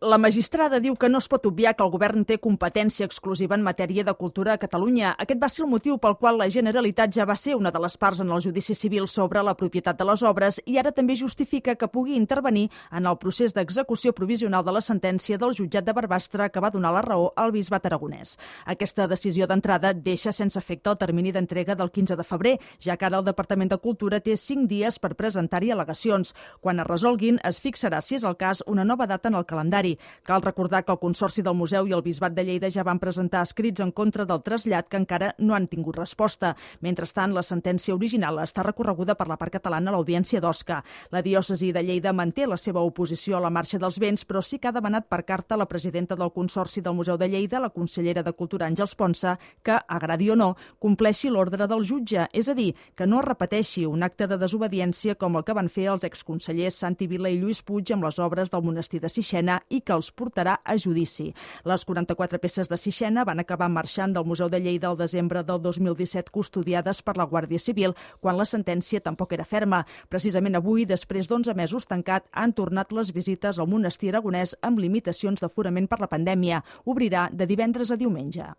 La magistrada diu que no es pot obviar que el govern té competència exclusiva en matèria de cultura a Catalunya. Aquest va ser el motiu pel qual la Generalitat ja va ser una de les parts en el judici civil sobre la propietat de les obres i ara també justifica que pugui intervenir en el procés d'execució provisional de la sentència del jutjat de Barbastre que va donar la raó al bisbat aragonès. Aquesta decisió d'entrada deixa sense efecte el termini d'entrega del 15 de febrer, ja que ara el Departament de Cultura té 5 dies per presentar-hi al·legacions. Quan es resolguin, es fixarà, si és el cas, una nova data en el calendari. Cal recordar que el Consorci del Museu i el Bisbat de Lleida ja van presentar escrits en contra del trasllat que encara no han tingut resposta. Mentrestant, la sentència original està recorreguda per la part catalana a l'Audiència d'Osca. La diòcesi de Lleida manté la seva oposició a la marxa dels béns, però sí que ha demanat per carta la presidenta del Consorci del Museu de Lleida, la consellera de Cultura Àngels Ponsa, que, agradi o no, compleixi l'ordre del jutge, és a dir, que no es repeteixi un acte de desobediència com el que van fer els exconsellers Santi Vila i Lluís Puig amb les obres del monestir de Sixena i que els portarà a judici. Les 44 peces de Sixena van acabar marxant del Museu de Lleida al desembre del 2017 custodiades per la Guàrdia Civil, quan la sentència tampoc era ferma. Precisament avui, després d'11 mesos tancat, han tornat les visites al monestir aragonès amb limitacions d'aforament per la pandèmia. Obrirà de divendres a diumenge.